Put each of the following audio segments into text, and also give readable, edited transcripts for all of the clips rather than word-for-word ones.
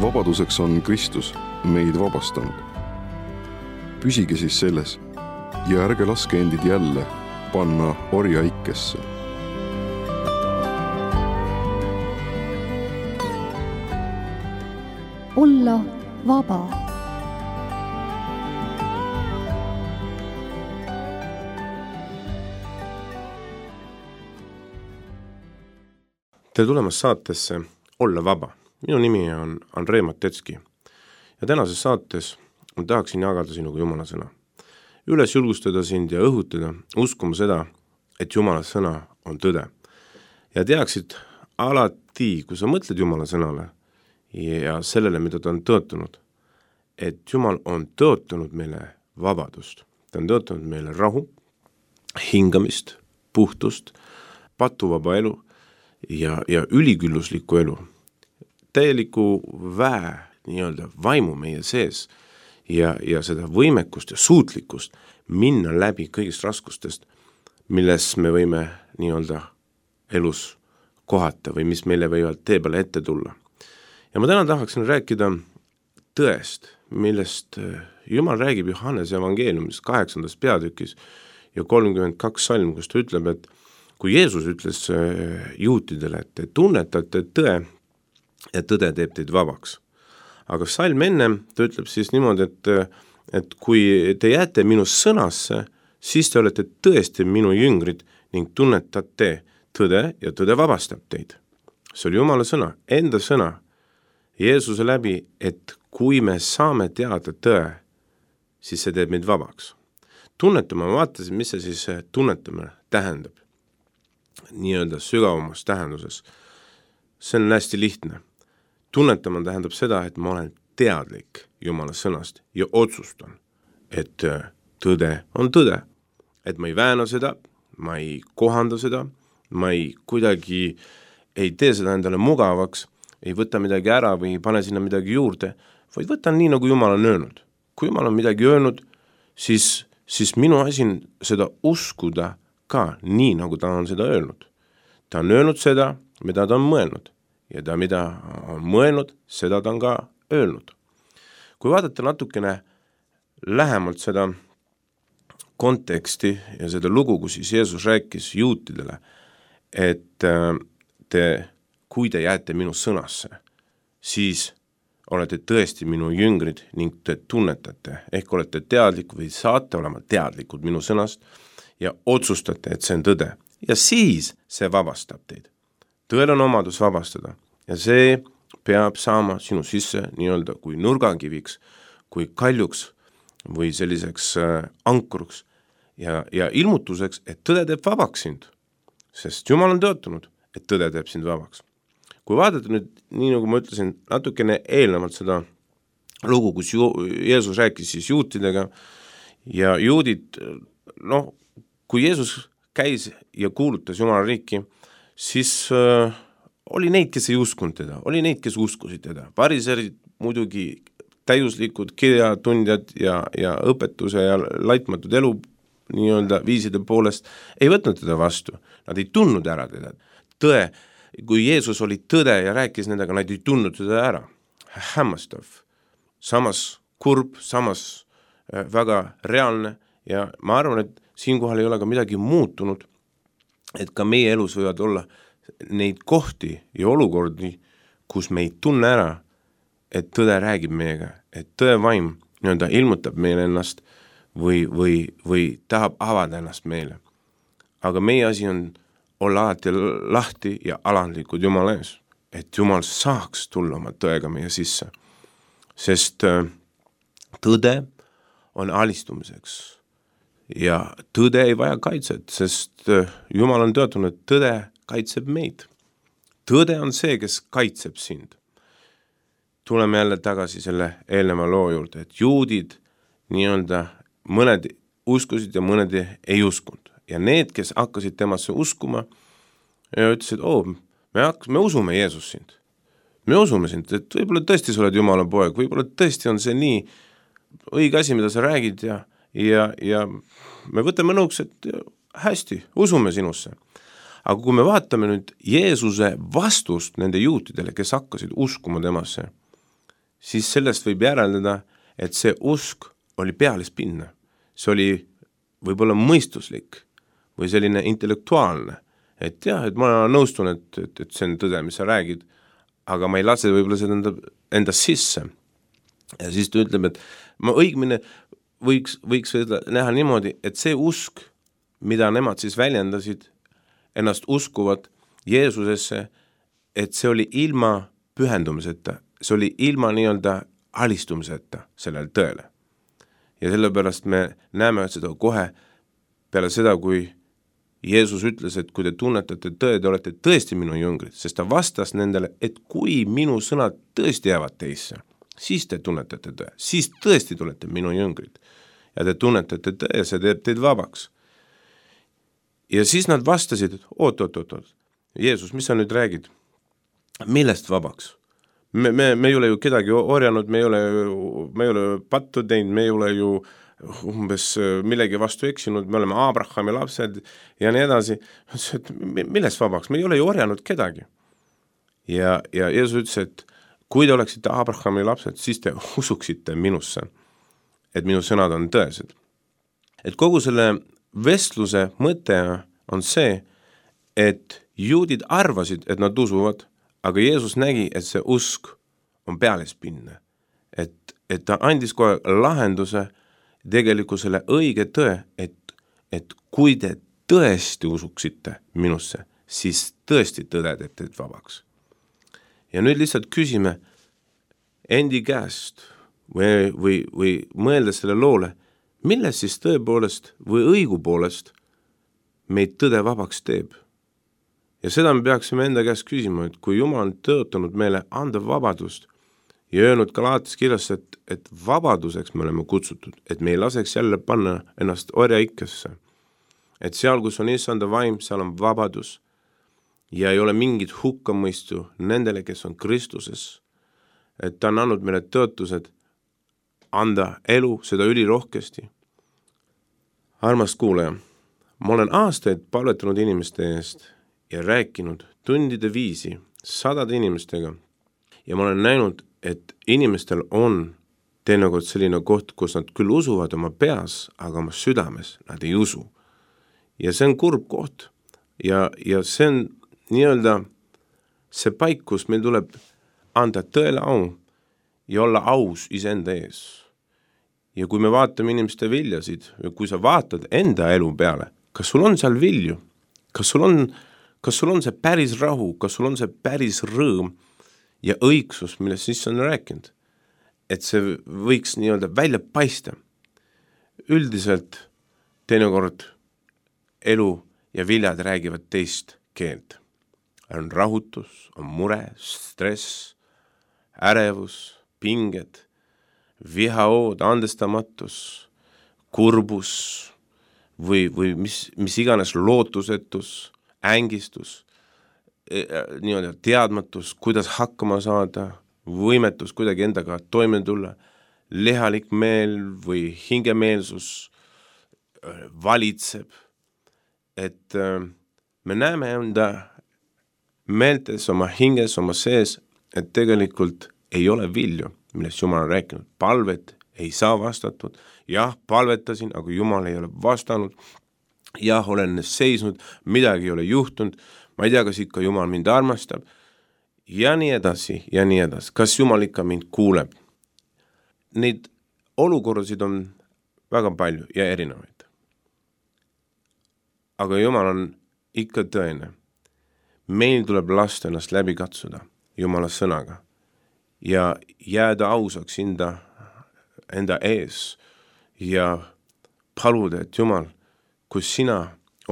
vabaduseks on Kristus meid vabastanud. Püsige siis selles ja ärge laske endid jälle panna orjaikesse. Olla vaba. Tere tulemast saatesse Olla vaba. Minu nimi on Andrei Matetski ja tänases saates ma tahaksin jagada sinuga Jumala sõna. Üles julgustada sind ja õhutada, uskuma seda, et Jumala sõna on tõde. Ja teaksid alati, kui sa mõtled Jumala sõnale ja sellele, mida ta on tõotanud, et Jumal on tõotanud meile vabadust. Ta on tõotanud meile rahu, hingamist, puhtust, patuvaba elu ja ülikülluslikku elu. Täieliku nii-öelda vaimu meie sees ja seda võimekust ja suutlikkust minna läbi kõigist raskustest, milles me võime nii-öelda elus kohata või mis meile võivad tee peale ette tulla. Ja ma täna tahaksin rääkida tõest, millest Jumal räägib Johannese evangeeliumis 8. peatükis ja 32 salm, kus ta ütleb, et kui Jeesus ütles juutidele, et te tunnetate tõe ja tõde teeb teid vabaks. Aga salm enne ta ütleb siis niimoodi, et kui te jääte minu sõnasse, siis te olete tõesti minu jüngrid ning tunnetate tõde ja tõde vabastab teid. See oli Jumala sõna, enda sõna Jeesuse läbi, et kui me saame teada tõe, siis see teeb meid vabaks. Tunnetama, ma vaatasin, mis see siis tunnetamine tähendab. Nii-öelda sügavamas tähenduses. See on hästi lihtne. Tunnetama tähendab seda, et ma olen teadlik Jumala sõnast ja otsustan, et tõde on tõde. Et ma ei vääna seda, ma ei kohanda seda, ma ei kuidagi ei tee seda endale mugavaks, ei võta midagi ära või ei pane sinna midagi juurde, vaid võtan nii, nagu Jumal on öelnud. Kui Jumal on midagi öelnud, siis minu asi on seda uskuda ka nii, nagu ta on seda öelnud. Ta on öelnud seda, mida ta on mõelnud. Ja ta, mida on mõelnud, seda ta on ka öelnud. Kui vaadata natukene lähemalt seda konteksti ja seda lugu, kus siis Jeesus rääkis juutidele, et kui te jääte minu sõnasse, siis olete tõesti minu jüngrid ning te tunnetate, ehk olete teadlikud või saate olema teadlikud minu sõnast ja otsustate, et see on tõde. Ja siis see vabastab teid. Tõel on omadus vabastada ja see peab saama sinu sisse nii-öelda kui nurgakiviks, kui kaljuks või selliseks ankruks ja ilmutuseks, et tõde teeb vabaks sind, sest Jumal on tõotanud, et tõde teeb sind vabaks. Kui vaadata nüüd, nii nagu ma ütlesin, natukene eelnevalt seda lugu, kus Jeesus rääkis siis juutidega ja juudid, kui Jeesus käis ja kuulutas Jumala riiki, siis oli neid, kes ei uskunud teda, oli neid, kes uskusid teda. Pariserid muidugi täiuslikud kirjatundjad ja õpetuse ja laitmatud elu nii-öelda viiside poolest ei võtnud teda vastu. Nad ei tundnud ära teda. Tõe, kui Jeesus oli tõde ja rääkis nendega, nad ei tundnud teda ära. Hämmastav. Samas kurb, samas väga reaalne ja ma arvan, et siinkohal ei ole ka midagi muutunud, et ka meie elus võivad olla neid kohti ja olukordi, kus me ei tunne ära, et tõde räägib meiega, et tõe vaim nii-öelda ilmutab meile ennast või tahab avada ennast meile. Aga meie asi on olla alati lahti ja alandlikud Jumala ees, et Jumal saaks tulla oma tõega meie sisse. Sest tõde on alistumiseks ja tõde ei vaja kaitset, sest Jumal on tõotanud, et tõde kaitseb meid. Tõde on see, kes kaitseb sind. Tuleme jälle tagasi selle eelneva loo juurde, et juudid nii-öelda mõned uskusid ja mõned ei uskunud. Ja need, kes hakkasid temasse uskuma, ütlesid, me usume Jeesus sind. Me usume sind, et võib-olla tõesti sa oled Jumala poeg, võib-olla tõesti on see nii õige asi, mida sa räägid ja me võtame nõuks, et hästi, usume sinusse. Aga kui me vaatame nüüd Jeesuse vastust nende juutidele, kes hakkasid uskuma temasse, siis sellest võib järeldada, et see usk oli pealispinne. See oli võib-olla mõistuslik või selline intellektuaalne. Et jah, et ma nõustun, et see on tõde, mis sa räägid, aga ma ei lase võib-olla seda enda sisse. Ja siis ta ütleb, et ma õigmine võiks näha niimoodi, et see usk, mida nemad siis väljendasid, ennast uskuvad Jeesusesse, et see oli ilma pühendumiseta, see oli ilma nii-öelda alistumiseta sellele tõele. Ja sellepärast me näeme seda kohe peale seda, kui Jeesus ütles, et kui te tunnetate tõe, te olete tõesti minu jüngrid, sest ta vastas nendele, et kui minu sõnad tõesti jäävad teisse, siis te tunnetate tõe, siis tõesti tulete minu jüngrid. Ja te tunnetate tõe, see teeb teid vabaks. Ja siis nad vastasid, et oot, Jeesus, mis sa nüüd räägid? Millest vabaks? Me ei ole ju kedagi orjanud, me ei ole pattu teinud, me ei ole ju umbes millegi vastu eksinud, me oleme Abrahami lapsed ja nii edasi. Millest vabaks? Me ei ole ju orjanud kedagi. Ja Jeesus ütles, et kui te oleksite Abrahami lapsed, siis te usuksite minusse, et minu sõnad on tõesed. Et kogu selle vestluse mõte on see, et juudid arvasid, et nad usuvad, aga Jeesus nägi, et see usk on pealispinne. Et ta andis kohe lahenduse tegelikult selle õige tõe, et kui te tõesti usuksite minusse, siis tõesti tõde teeb teid vabaks. Ja nüüd lihtsalt küsime endi käest või mõeldes selle loole, milles siis tõepoolest või õigupoolest meid tõde vabaks teeb. Ja seda me peaksime enda käest küsima, et kui Jumal on tõotanud meile anda vabadust ja öelnud Galaatias kirjas, et vabaduseks me oleme kutsutud, et me ei laseks jälle panna ennast orjaikkesse. Et seal, kus on issanda vaim, seal on vabadus ja ei ole mingit hukkamõistu nendele, kes on Kristuses. Et ta on andnud meile tõotused anda elu, seda ülirohkesti. Armas kuulaja, ma olen aastaid palvetanud inimeste eest ja rääkinud tundide viisi sadade inimestega ja ma olen näinud, et inimestel on teinekord selline koht, kus nad küll usuvad oma peas, aga oma südames nad ei usu. Ja see on kurb koht ja see on nii-öelda see paik, kus meil tuleb anda tõele au ja olla aus iseenda ees. Ja kui me vaatame inimeste viljasid ja kui sa vaatad enda elu peale, kas sul on seal vilju? Kas sul on see päris rahu? Kas sul on see päris rõõm ja õigsus, millest siis on rääkinud? Et see võiks nii-öelda välja paista. Üldiselt teinekord elu ja viljad räägivad teist keelt. On rahutus, on mure, stress, ärevus, pinged, vihaood, andestamatus, kurbus või mis iganes lootusetus, ängistus, nii-öelda teadmatus, kuidas hakkama saada, võimetus kuidagi endaga toime tulla, lihalik meel või hingemeelsus valitseb, et me näeme enda meeltes, oma hinges, oma sees, et tegelikult ei ole vilju, millest Jumal on rääkinud. Palvet ei saa vastatud. Jah, palvetasin, aga Jumal ei ole vastanud. Jah, olen seisnud, midagi ei ole juhtunud. Ma ei tea, kas ikka Jumal mind armastab. Ja nii edasi, ja nii edasi. Kas Jumal ikka mind kuuleb? Neid olukordasid on väga palju ja erinevaid. Aga Jumal on ikka tõene. Meil tuleb lasta ennast läbi katsuda Jumala sõnaga ja jääda ausaks enda ees ja paluda, et Jumal, kui sina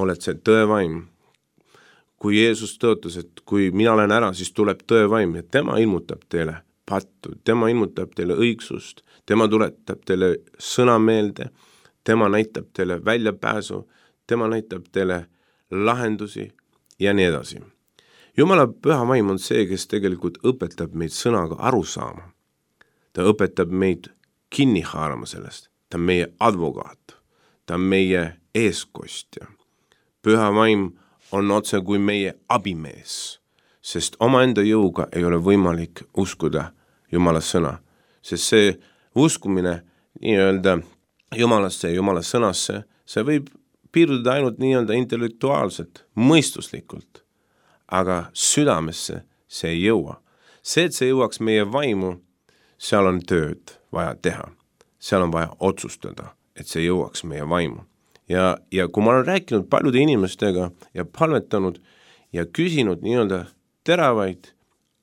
oled see tõevaim, kui Jeesus tõotas, et kui mina olen ära, siis tuleb tõevaim ja tema ilmutab teile pattu, tema ilmutab teile õigsust, tema tuletab teile sõna meelde, tema näitab teile väljapääsu, tema näitab teile lahendusi ja nii edasi. Jumala püha vaim on see, kes tegelikult õpetab meid sõnaga aru saama. Ta õpetab meid kinni haarama sellest. Ta on meie advokaat. Ta on meie eeskostja. Püha vaim on otse kui meie abimees, sest omaenda jõuga ei ole võimalik uskuda Jumala sõna. sest see uskumine nii-öelda Jumalasse ja Jumala sõnasse, see võib piirduda ainult nii-öelda intellektuaalselt, mõistuslikult, aga südamesse see ei jõua. See, et see jõuaks meie vaimu, seal on tööd vaja teha. Seal on vaja otsustada, et see jõuaks meie vaimu. Ja kui ma olen rääkinud paljude inimestega ja palvetanud ja küsinud nii-öelda teravaid,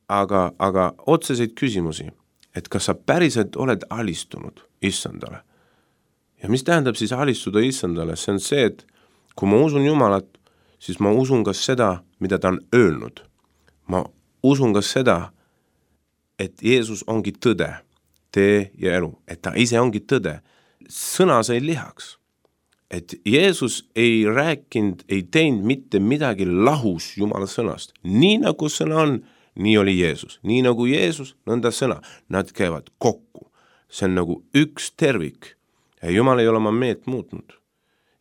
aga otseseid küsimusi, et kas sa päriselt oled alistunud Issandale. Ja mis tähendab siis alistuda Issandale? See on see, et kui ma usun Jumalat, siis ma usun ka seda, mida ta on öelnud. Ma usun ka seda, et Jeesus ongi tõde, tee ja elu, et ta ise ongi tõde. Sõna sai lihaks. Et Jeesus ei rääkinud, ei teinud mitte midagi lahus Jumala sõnast. Nii nagu sõna on, nii oli Jeesus. Nii nagu Jeesus, nõnda sõna. Nad käivad kokku. See on nagu üks tervik. Ja Jumal ei ole oma meelt muutnud.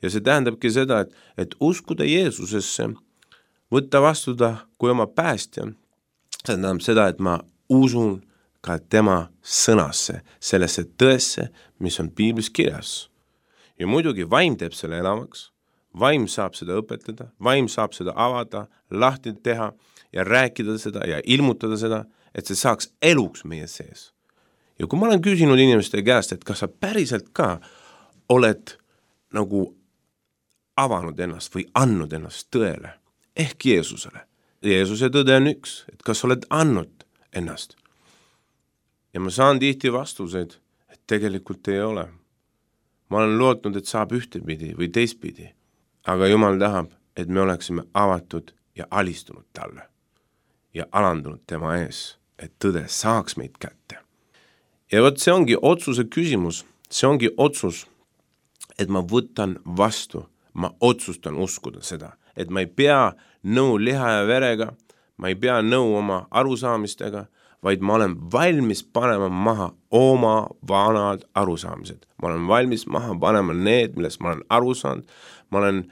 Ja see tähendabki seda, et uskuda Jeesusesse, võtta vastu ta kui oma päästja. See tähendab seda, et ma usun ka tema sõnasse, sellesse tõesse, mis on Piiblis kirjas. Ja muidugi vaim teeb selle elavaks, vaim saab seda õpetada, vaim saab seda avada, lahti teha ja rääkida seda ja ilmutada seda, et see saaks eluks meie sees. Ja kui ma olen küsinud inimeste käest, et kas sa päriselt ka oled nagu avanud ennast või andnud ennast tõele, ehk Jeesusele. Jeesuse tõde on üks, et kas oled andnud ennast. Ja ma saan tihti vastuseid, et tegelikult ei ole. Ma olen lootnud, et saab ühtepidi või teistpidi, aga Jumal tahab, et me oleksime avatud ja alistunud talle ja alandunud tema ees, et tõde saaks meid kätte. Ja võt see ongi otsuse küsimus, see ongi otsus, et ma võtan vastu, ma otsustan uskuda seda, et ma ei pea nõu liha ja verega, ma ei pea nõu oma arusaamistega, vaid ma olen valmis panema maha oma vanad arusaamised. Ma olen valmis maha panema need, millest ma olen aru saanud. Ma olen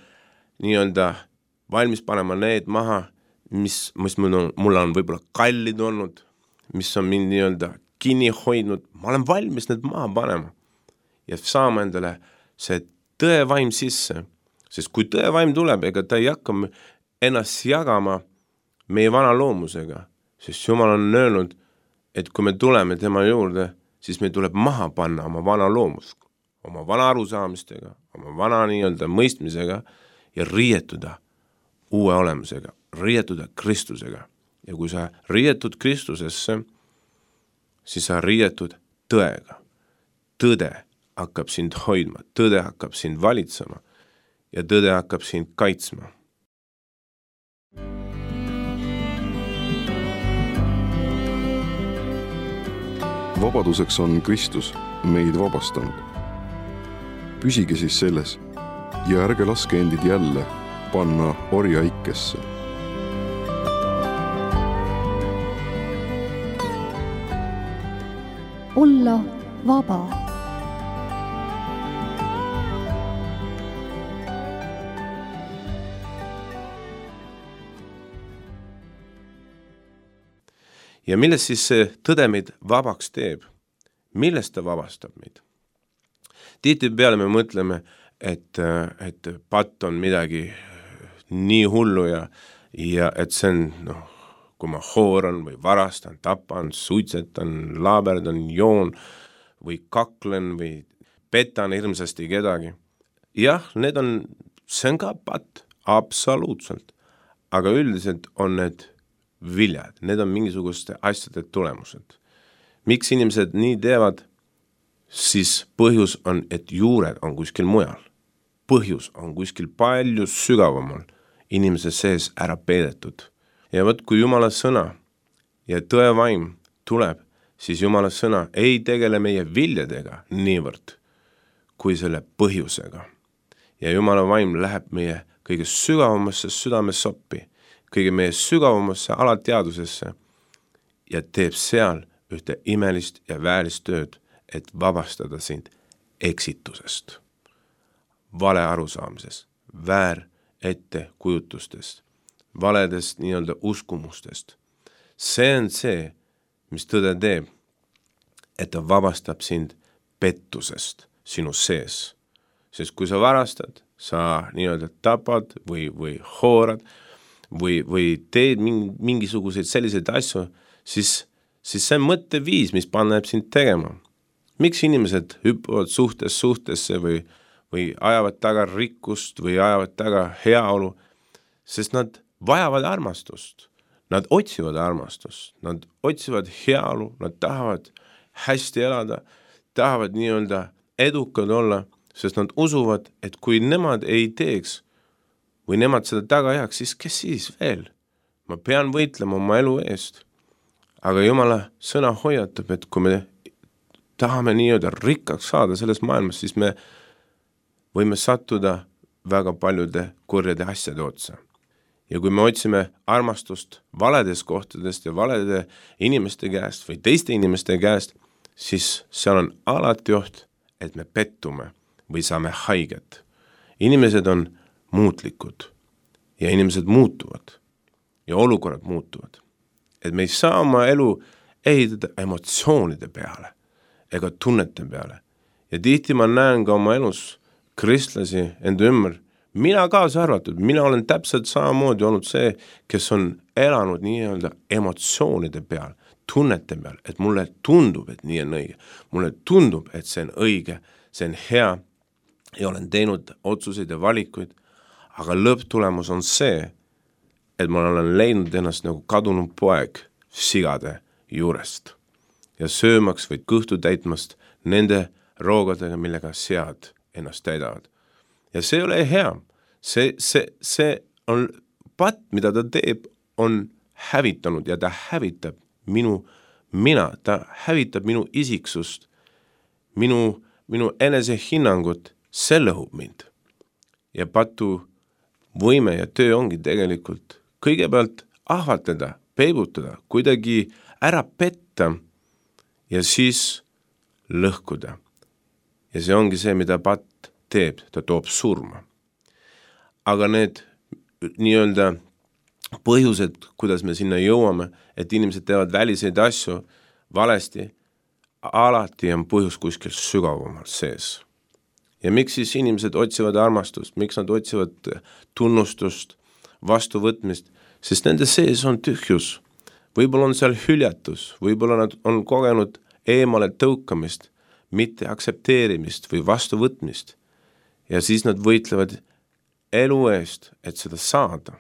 nii-öelda valmis panema need maha, mis mulle on võib-olla kallid olnud, mis on mind nii-öelda kinni hoidnud. Ma olen valmis need maha panema ja saama endale see tõevaim sisse. Sest kui tõevaim tuleb, ega ta ei hakka ennast jagama meie vana loomusega, sest Jumal on öelnud, et kui me tuleme tema juurde, siis me tuleb maha panna oma vana loomus, oma vana arusaamistega, oma vana nii-öelda mõistmisega ja riietuda uue olemusega, riietuda Kristusega. Ja kui sa riietud Kristusesse, siis sa riietud tõega. Tõde hakkab sind hoidma, tõde hakkab sind valitsema ja tõde hakkab sind kaitsma. Vabaduseks on Kristus meid vabastanud. Püsige siis selles ja ärge laske endid jälle panna orjaikesse. Olla vaba. Ja millest siis see tõde meid vabaks teeb? Millest ta vabastab meid? Tihtipeale me mõtleme, et patt on midagi nii hullu ja et see on, kui ma hooran või varastan, tapan, suitsetan, laaberdan, joon või kaklen või petan hirmsasti kedagi. Jah, see on ka patt, absoluutselt. Aga üldiselt on need viljad, need on mingisuguste asjade tulemused. Miks inimesed nii teevad, siis põhjus on, et juured on kuskil mujal. Põhjus on kuskil palju sügavamal inimese sees ära peidetud. Ja võt, kui Jumala sõna ja tõevaim tuleb, siis Jumala sõna ei tegele meie viljadega niivõrd kui selle põhjusega. Ja Jumala vaim läheb meie kõige sügavamasse südamesoppi, kõige meie sügavamasse alateadusesse ja teeb seal ühte imelist ja väärist tööd, et vabastada sind eksitusest, vale arusaamisest, väär ettekujutustest, valedest nii-öelda uskumustest. See on see, mis tõde teeb, et ta vabastab sind pettusest sinu sees. Sest kui sa varastad, sa nii-öelda tapad või hoorad või teed mingisuguseid selliseid asju, siis see on mõtteviis, mis paneb sind tegema. Miks inimesed hüppavad suhtesse või ajavad taga rikkust või ajavad taga heaolu? Sest nad vajavad armastust. Nad otsivad armastust, nad otsivad heaolu, nad tahavad hästi elada, tahavad nii-öelda edukad olla, sest nad usuvad, et kui nemad ei teeks või nemad seda taga jääks, siis kes siis veel? Ma pean võitlema oma elu eest. Aga Jumala sõna hoiatab, et kui me tahame nii-öelda rikkaks saada selles maailmas, siis me võime sattuda väga paljude kurjade asjade otsa. Ja kui me otsime armastust valedes kohtadest ja valede inimeste käest või teiste inimeste käest, siis seal on alati oht, et me pettume või saame haiget. Inimesed on muutlikud ja inimesed muutuvad ja olukorrad muutuvad. Et me ei saa oma elu ehitada emotsioonide peale ega tunnete peale. Ja tihti ma näen ka oma elus kristlasi enda ümber, mina kaasa arvatud, mina olen täpselt samamoodi olnud see, kes on elanud nii-öelda emotsioonide peal, tunnete peal, et mulle tundub, et nii on õige. Mulle tundub, et see on õige, see on hea ja olen teinud otsuseid ja valikuid, aga lõpptulemus on see, et ma olen leidnud ennast nagu kadunud poeg sigade juurest ja söömaks või kõhtu täitmast nende roogadega, millega sead ennast täidavad. Ja see ei ole hea. See on patt, mida ta teeb, on hävitanud ja ta hävitab ta hävitab minu isiksust, minu enesehinnangut, see lõhub mind. Ja patu võime ja töö ongi tegelikult kõigepealt ahvatleda, peibutada, kuidagi ära petta ja siis lõhkuda. Ja see ongi see, mida patt teeb, ta toob surma. Aga need nii-öelda põhjused, kuidas me sinna jõuame, et inimesed teevad väliseid asju valesti, alati on põhjus kuskil sügavamalt sees. Ja miks siis inimesed otsivad armastust, miks nad otsivad tunnustust, vastuvõtmist, sest nende sees on tühjus. Võib-olla on seal hüljatus, võib-olla nad on kogenud eemale tõukamist, mitte aktsepteerimist või vastuvõtmist. Ja siis nad võitlevad elu eest, et seda saada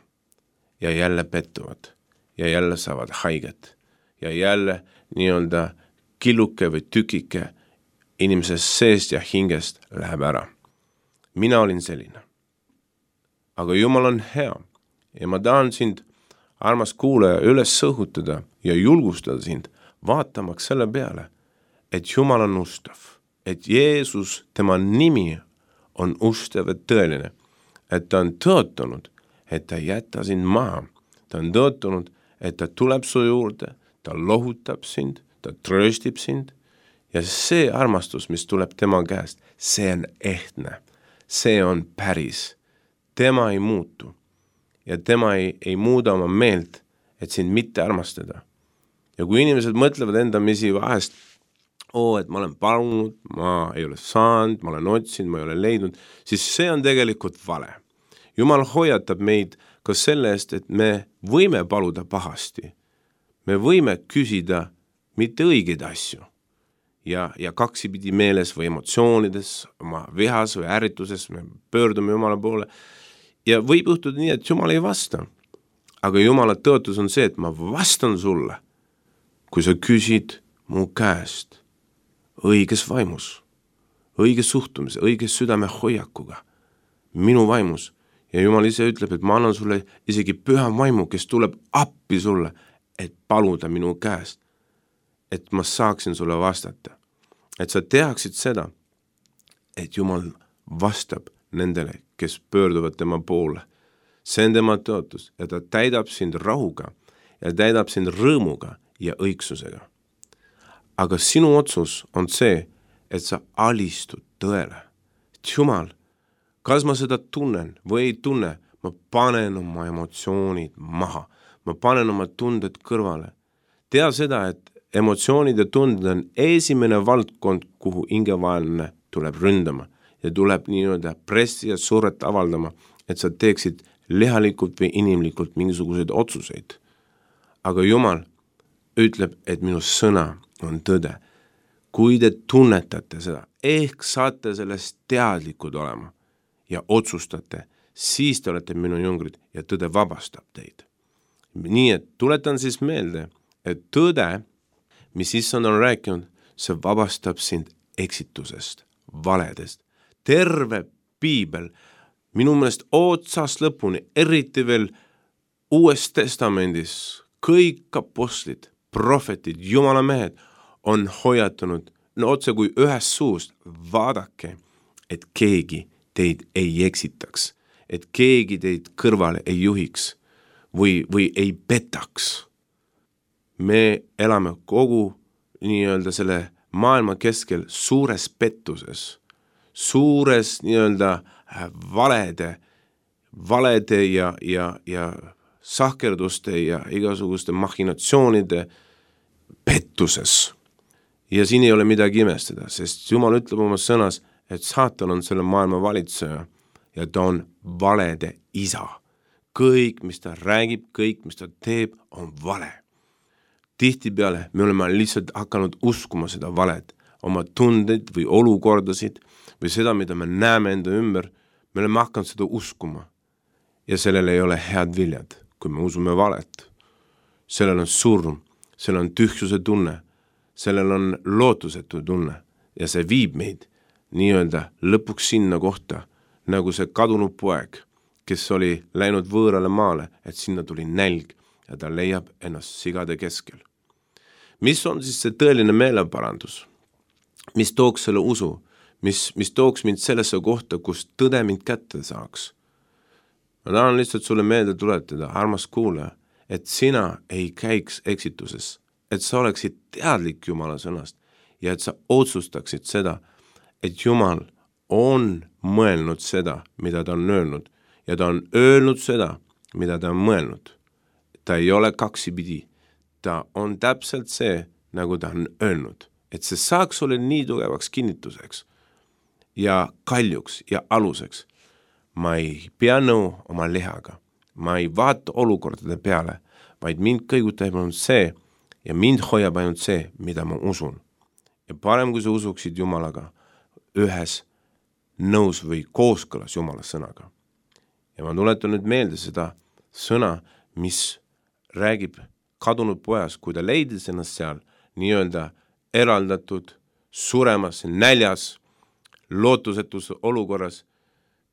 ja jälle pettuvad ja jälle saavad haiget ja jälle nii-öelda killuke või tükike inimesest seest ja hingest läheb ära. Mina olin selline. Aga Jumal on hea ja ma tahan sind, armas kuulaja, üles sõhutada ja julgustada sind vaatamaks selle peale, et Jumal on ustav, et Jeesus, tema nimi on ustav ja tõeline, et ta on tõotanud, et ta jätta sind maha. Ta on tõotanud, et ta tuleb su juurde, ta lohutab sind, ta trööstib sind ja see armastus, mis tuleb tema käest, see on ehtne, see on päris. Tema ei muutu ja tema ei muuda oma meelt, et sind mitte armastada. Ja kui inimesed mõtlevad endamisi vahest, et ma olen palunud, ma ei ole saanud, ma olen otsinud, ma ei ole leidnud, siis see on tegelikult vale. Jumal hoiatab meid ka selle eest, et me võime paluda pahasti. Me võime küsida mitte õigeid asju ja kaksipidi meeles või emotsioonides, oma vihas või ärrituses me pöördume Jumala poole ja võib juhtuda nii, et Jumal ei vasta. Aga Jumala tõotus on see, et ma vastan sulle, kui sa küsid mu käest õiges vaimus, õige suhtumise, õige südame hoiakuga, minu vaimus. Ja Jumal ise ütleb, et ma annan sulle isegi püha vaimu, kes tuleb appi sulle, et paluda minu käest, et ma saaksin sulle vastata. Et sa teaksid seda, et Jumal vastab nendele, kes pöörduvad tema poole. See on tema tõotus ja ta täidab sind rahuga ja täidab sind rõõmuga ja õigsusega. Aga sinu otsus on see, et sa alistud tõele. Et Jumal, kas ma seda tunnen või ei tunne, ma panen oma emotsioonid maha, ma panen oma tunded kõrvale. Tea seda, emotsioonid ja tunded on esimene valdkond, kuhu hingevaenlane tuleb ründama ja tuleb nii-öelda pressi ja surret avaldama, et sa teeksid lihalikult või inimlikult mingisuguseid otsuseid. Aga Jumal ütleb, et minu sõna on tõde. Kui te tunnetate seda, ehk saate sellest teadlikud olema ja otsustate, siis te olete minu jüngrid ja tõde vabastab teid. Nii et tuletan siis meelde, et tõde, mis issand on rääkinud, see vabastab sind eksitusest, valedest. Terve piibel, minu meelest otsast lõpuni, eriti veel Uues Testamendis, kõik apostlid, prohvetid, Jumala mehed on hoiatanud, no otse kui ühest suust, vaadake, et keegi teid ei eksitaks, et keegi teid kõrvale ei juhiks või ei petaks. Me elame kogu nii-öelda selle maailma keskel suures pettuses, suures nii-öelda valede ja sahkerduste ja igasuguste machinatsioonide pettuses. Ja siin ei ole midagi imestada, sest Jumal ütleb oma sõnas, et saatan on selle maailma valitseja ja ta on valede isa. Kõik, mis ta räägib, kõik, mis ta teeb, on vale. Tihtipeale me oleme lihtsalt hakanud uskuma seda valet, oma tundeid või olukordasid või seda, mida me näeme enda ümber, me oleme hakanud seda uskuma. Ja sellel ei ole head viljad, kui me usume valet. Sellel on surm, sellel on tühjuse tunne, sellel on lootusetu tunne ja see viib meid nii-öelda lõpuks sinna kohta, nagu see kadunud poeg, kes oli läinud võõrale maale, et sinna tuli nälg ja ta leiab ennast sigade keskel. Mis on siis see tõeline meeleparandus? Mis tooks selle usu? Mis tooks mind sellesse kohta, kus tõde mind kätte saaks? Ma tahan lihtsalt sulle meelde tuletada, armas kuulaja, et sina ei käiks eksituses, et sa oleksid teadlik Jumala sõnast ja et sa otsustaksid seda, et Jumal on mõelnud seda, mida ta on öelnud ja ta on öelnud seda, mida ta on mõelnud. Ta ei ole kaksipidi. Ta on täpselt see, nagu ta on öelnud, et see saaks olla nii tugevaks kinnituseks ja kaljuks ja aluseks. Ma ei pea nõu oma lihaga, ma ei vaata olukordade peale, vaid mind kõigutab ainult see ja mind hoiab ainult see, mida ma usun. Ja parem, kui sa usuksid Jumalaga ühes nõus või kooskõlas Jumala sõnaga. Ja ma tuletan nüüd meelde seda sõna, mis räägib kadunud pojas, kui ta leidis ennast seal nii-öelda eraldatud, suremas, näljas, lootusetus olukorras,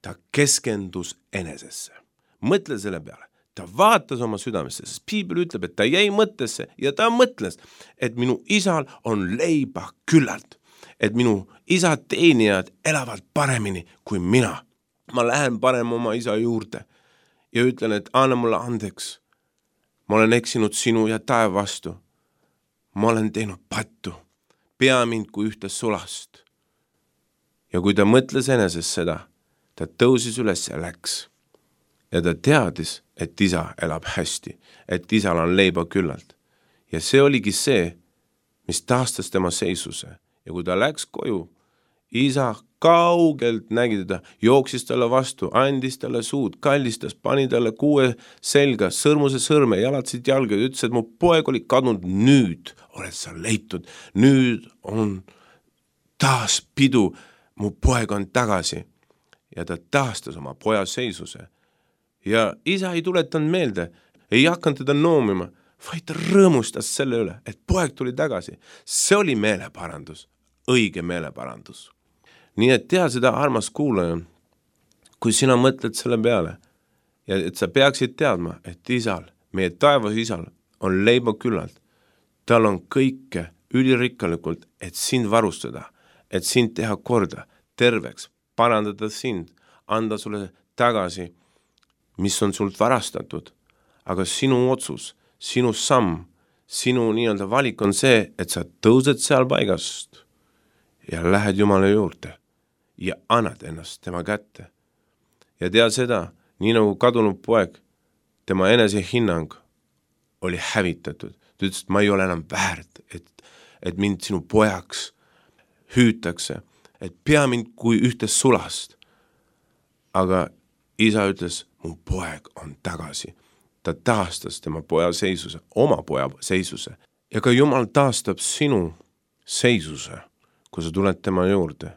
ta keskendus enesesse. Mõtle selle peale. Ta vaatas oma südamesse, sest piibel ütleb, et ta jäi mõttesse ja ta mõtles, et minu isal on leiba küllalt, et minu isa teenijad elavad paremini kui mina. Ma lähen parem oma isa juurde ja ütlen, et anna mulle andeks. Ma olen eksinud sinu ja taeva vastu. Ma olen teinud pattu. Pea mind kui ühte sulast. Ja kui ta mõtles eneses seda, ta tõusis üles ja läks. Ja ta teadis, et isa elab hästi, et isal on leiba küllalt. Ja see oligi see, mis taastas tema seisuse. Ja kui ta läks koju, isa kaugelt nägi teda, jooksis talle vastu, andis talle suud, kallistas, pani talle kuue selga, sõrmuse sõrme, jalatsid jalga ja ütles, et mu poeg oli kadunud, nüüd oled sa leitud, nüüd on taas pidu, mu poeg on tagasi. Ja ta taastas oma poja seisuse. Ja isa ei tuletanud meelde, ei hakanud teda noomima, vaid ta rõõmustas selle üle, et poeg tuli tagasi. See oli meeleparandus, õige meeleparandus. Nii et tea seda, armas kuulaja, kui sina mõtled selle peale ja et sa peaksid teadma, et isal, meie taevas isal on leiba küllalt. Tal on kõike ülirikkalikult, et sind varustada, et sind teha korda, terveks, parandada sind, anda sulle tagasi, mis on sult varastatud. Aga sinu otsus, sinu samm, sinu nii-öelda valik on see, et sa tõused seal paigast ja lähed Jumala juurde ja annad ennast tema kätte. Ja tea seda, nii nagu kadunud poeg, tema enesehinnang oli hävitatud. ta ütles, et ma ei ole enam väärt, et mind sinu pojaks hüütakse, et pea mind kui ühte sulast. Aga isa ütles, mu poeg on tagasi. Ta taastas tema poja seisuse, oma poja seisuse. Ja ka Jumal taastab sinu seisuse, kui sa tuled tema juurde,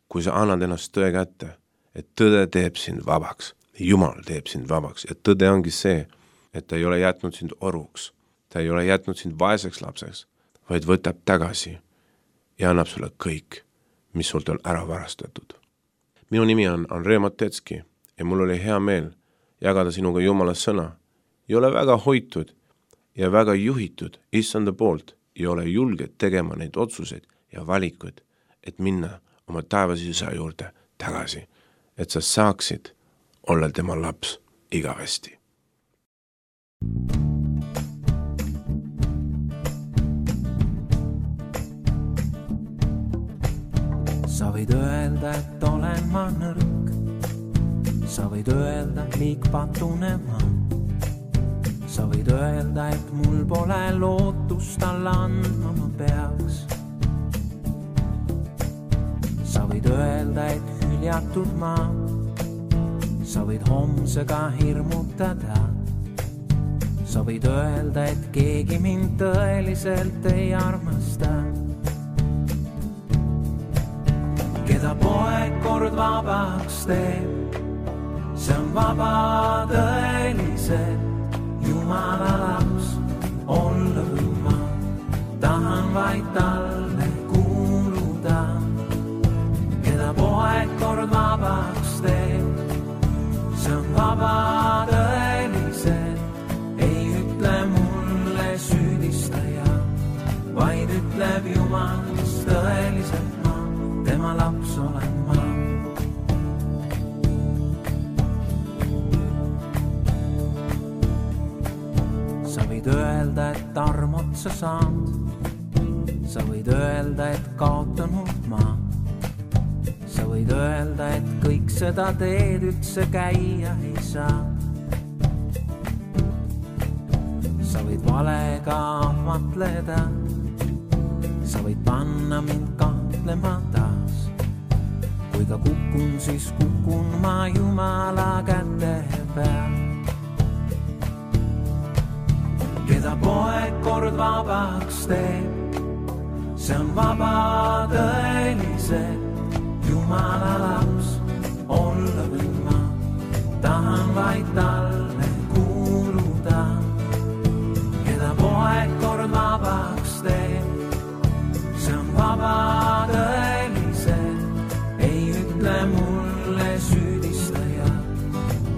kui sa annad ennast tõe kätte, et tõde teeb sind vabaks. Jumal teeb sind vabaks ja tõde ongi see, et ta ei ole jätnud sind oruks, ta ei ole jätnud sind vaeseks lapseks, vaid võtab tagasi ja annab sulle kõik, mis sult on ära varastatud. Minu nimi on Andrei Matetski ja mul oli hea meel jagada sinuga Jumala sõna. Ei ole väga hoitud ja väga juhitud issanda poolt ja ole julged tegema neid otsuseid ja valikuid, et minna oma taevase isa juurde tagasi, et sa saaksid olla tema laps igavesti. Sa võid öelda, et olen ma nõrk. Sa võid öelda, et liigpatune ma. Sa võid öelda, et mul pole lootust alla andma ma peaks. Sa võid öelda, et hüljatud ma. Sa võid homsega hirmutada. Sa võid öelda, et keegi mind tõeliselt ei armasta. Keda poeg kord vabaks teeb, see on vaba tõeliselt. Jumala laps olla või ma tahan vaid talle kuuluda. Keda poeg kord vabaks teeb, see on vaba tõeliselt. Ei ütle mulle süüdistaja, vaid ütleb Jumal, kes tõeliselt ma, tema laps olen ma. Sa võid öelda, et armot sa saanud. Sa võid öelda, et kaotanud ma. Sa võid öelda, et kõik seda teed üldse käia ei saa. Sa võid valega ahmatleda. Sa võid panna mind kahtlema taas. Kui ka kukun, siis kukun ma Jumala käte peal. Keda poeg kord vabaks teeb, see on vaba tõeliselt. Jumala laps olla või ma tahan vaid talle kuuluda. Keda poeg kord vabaks teeb, see on vaba tõeliselt. Ei ütle mulle süüdistaja,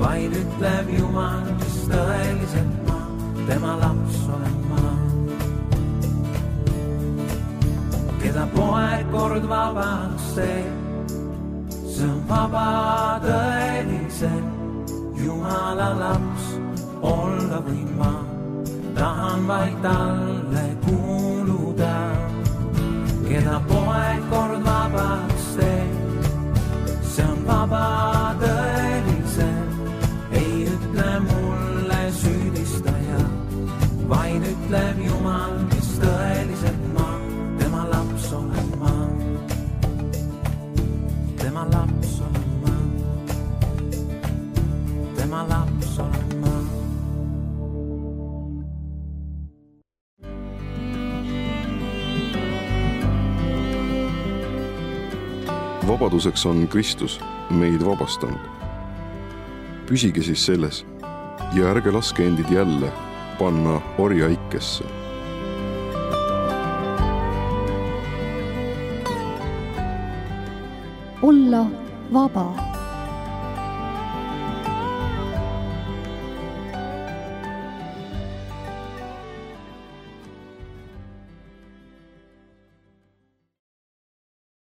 vaid ütleb Jumal, kes tõeliselt ma, tema laps olen ma. Keda poeg kord vabaks teeb, see on vaba tõeliselt. Jumala laps olla või ma tahan vaid talle kuuluda. Keda poeg kord vabaks teeb, see on vaba tõeliselt. Ei ütle mulle süüdistaja, vaid ütleb Jumal, kes tõeliselt ma, tema laps olen ma. Tema laps olen ma. Tema laps olen ma. Vabaduseks on Kristus meid vabastanud. Püsige siis selles ja ärge laske endid jälle panna orjaikesse. Olla vaba.